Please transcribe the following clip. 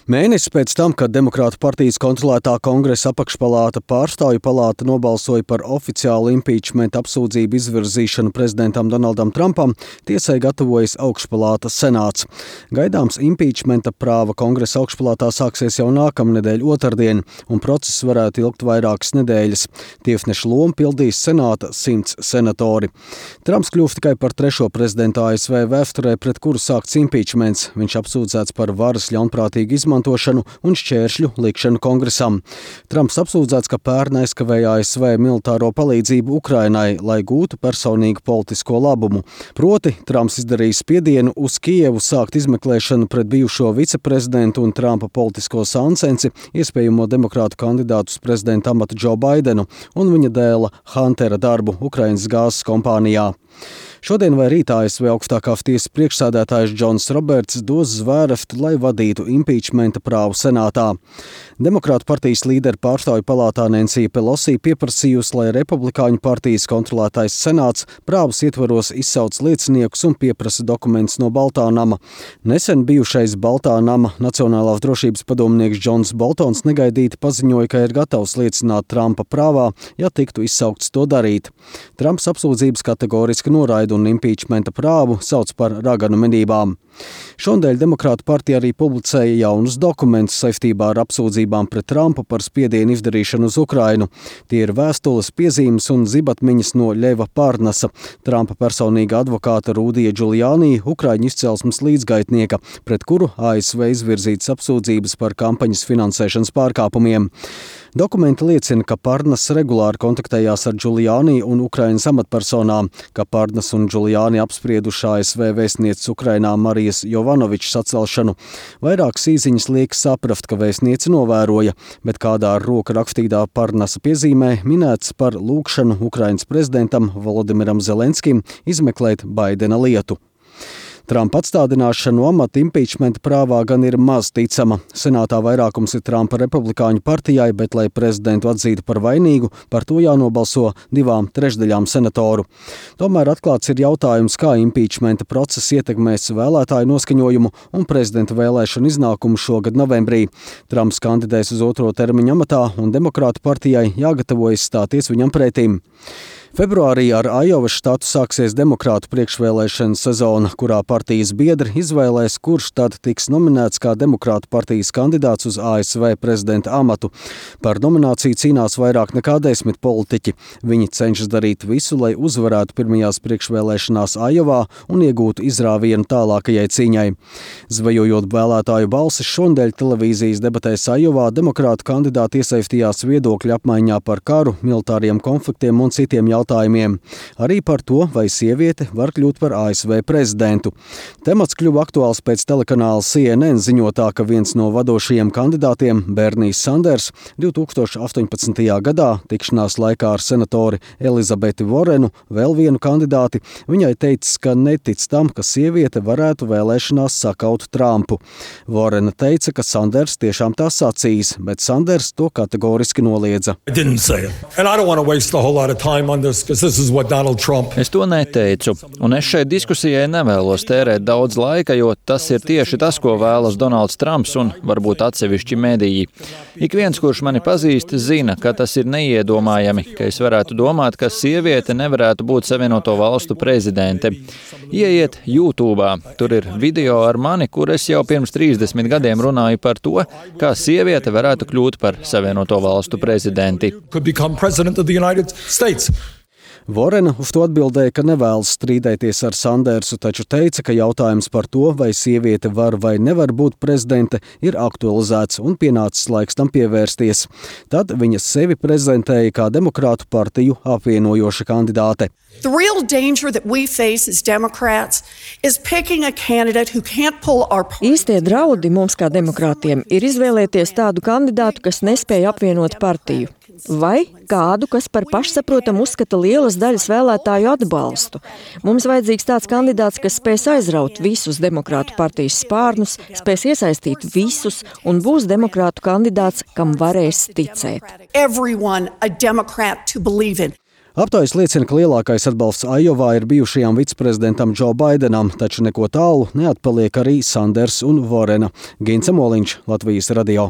Mēnesis pēc tam, kad Demokrātu partijas kontrolētā Kongresa apakšpalāta pārstāvju palāta nobalsoja par oficiālu impeachment apsūdzību izvirzīšanu prezidentam Donaldam Trumpam, tiesai gatavojas augšpalātas senāts. Gaidāms impeachmenta prāva Kongresa augšpalātā sāksies jau nākamnedēļ otrdien, un process varētu ilgt vairākas nedēļas. Tiesneša lomu pildīs senāta 100 senatori. Trumps kļuva tikai par trešo prezidentu ASV vēsturē, pret kuru sākts impeachments. Viņš apsūdzēts par varas ļaunprātīgu izmantošanu un šķēršļu likšanu Kongresam. Trumps apsūdzēts, ka pērn aizkavēja ASV militāro palīdzību Ukrainai, lai gūtu personīgu politisko labumu. Proti, Trumps izdarīja spiedienu uz Kijevu sākt izmeklēšanu pret bijušo viceprezidentu un Trumpa politisko sāncensi, iespējamo demokrātu kandidātu uz prezidenta amatu Džo Baidenu un viņa dēla Huntera darbu Ukrainas gāzes kompānijā. Šodien vai rīt ASV augstākās tiesas priekšsēdētājs Džons Roberts dos zvēreftu, lai vadītu impeachmenta prāvu senātā. Demokrātu partijas līderi pārstāvju palātā Nancy Pelosi pieprasījusi, lai republikāņu partijas kontrolētais senāts prāvas ietvaros izsauc lieciniekus un pieprasa dokumentus no Baltā nama. Nesen bijušais Baltā nama Nacionālās drošības padomnieks Džons Boltons negaidīti paziņoja, ka ir gatavs liecināt Trumpa prāvā, ja tiktu izsaukts to darīt. Trumps apsūdzības kategoriski noraida un impeachmenta prāvu sauc par raganu medībām. Šonadēļ Demokrātu partija arī publicēja jaunus dokumentus saistībā ar apsūdzībām pret Trumpu par spiedienu izdarīšanu uz Ukrainu. Tie ir vēstules, piezīmes un zibatmiņas no Ļeva Parnasa, Trumpa personīga advokāta Rudija Giuliani, Ukraiņu izcelsmes līdzgaitnieka, pret kuru ASV izvirzītas apsūdzības par kampaņas finansēšanas pārkāpumiem. Dokumenti liecina, ka Parnas regulāri kontaktējās ar Giuliani un Ukrainas amatpersonām, ka Parnas un Giuliani apsprieduši ASV vēstnieces Ukrainā Marijas Jovanovičs atcelšanu. Vairākas īziņas liek saprast, ka vēstniece novēroja, bet kādā ar roku rakstītā Parnasa piezīmē minēts par lūgšanu Ukrainas prezidentam Volodimiram Zelenskim izmeklēt Baidena lietu. Trumpa atstādināšana no amata impeachmenta prāvā gan ir maz ticama. Senātā vairākums ir Trumpa republikāņu partijai, bet, lai prezidentu atzītu par vainīgu, par to jānobalso 2/3 senatoru. Tomēr atklāts ir jautājums, kā impeachmenta process ietekmēs vēlētāju noskaņojumu un prezidenta vēlēšanu iznākumu šogad novembrī. Trumps kandidēs uz otro termiņu amatā un Demokrātu partijai jāgatavojas stāties viņam pretīm. Februārī ar Ajovas štatu sāksies demokrātu priekšvēlēšana sezona, kurā partijas biedri izvēlēs, kurš tad tiks nominēts kā demokrātu partijas kandidāts uz ASV prezidenta amatu. Par nomināciju cīnās vairāk nekā 10 politiķi. Viņi cenšas darīt visu, lai uzvarētu pirmajās priekšvēlēšanās Ajovā un iegūtu izrāvienu tālākajai cīņai. Zvejojot vēlētāju balsis, šonadēļ televīzijas debatēs Ajovā demokrātu kandidāti iesaistījās viedokļu apmaiņā par karu, militāriem konfliktiem un citiem jautājumiem. Arī par to, vai sieviete var kļūt par ASV prezidentu. Temats kļuva aktuāls pēc telekanāla CNN ziņotā, ka viens no vadošajiem kandidātiem, Bernijs Sanders, 2018. gadā tikšanās laikā ar senatori Elizabeti Vorenu, vēl vienu kandidāti, viņai teicis, ka netic tam, ka sieviete varētu vēlēšanās sakaut Trumpu. Vorena teica, ka Sanders tiešām tā sacījis, bet Sanders to kategoriski noliedza. Es to neteicu, un es šai diskusijai nevēlos tērēt daudz laika, jo tas ir tieši tas, ko vēlas Donalds Trumps un varbūt atsevišķi mediji. Ik viens, kurš mani pazīst, zina, ka tas ir neiedomājami, ka es varētu domāt, ka sieviete nevarētu būt Savienoto Valstu prezidente. Ieiet YouTube, tur ir video ar mani, kur es jau pirms 30 gadiem runāju par to, kā sieviete varētu kļūt par Savienoto Valstu prezidenti. Vorena uz to atbildēja, ka nevēlas strīdēties ar Sandersu, taču teica, ka jautājums par to, vai sieviete var vai nevar būt prezidente, ir aktualizēts un pienācis laiks tam pievērsties. Tad viņa sevi prezentēja kā demokrātu partiju apvienojoša kandidāte. The real danger that we face as Democrats is picking a candidate who can't pull our party. Īstie draudi mums kā demokrātiem ir izvēlēties tādu kandidātu, kas nespēja apvienot partiju. Vai kādu, kas par pašsaprotam uzskata lielas daļas vēlētāju atbalstu. Mums vajadzīgs tāds kandidāts, kas spēs aizraut visus demokrātu partijas spārnus, spēs iesaistīt visus un būs demokrātu kandidāts, kam varēs ticēt. Aptaujas liecina, ka lielākais atbalsts Ajovā ir bijušajam viceprezidentam Džo Baidenam, taču neko tālu neatpaliek arī Sanders un Vorena. Gints Moliņš, Latvijas radio.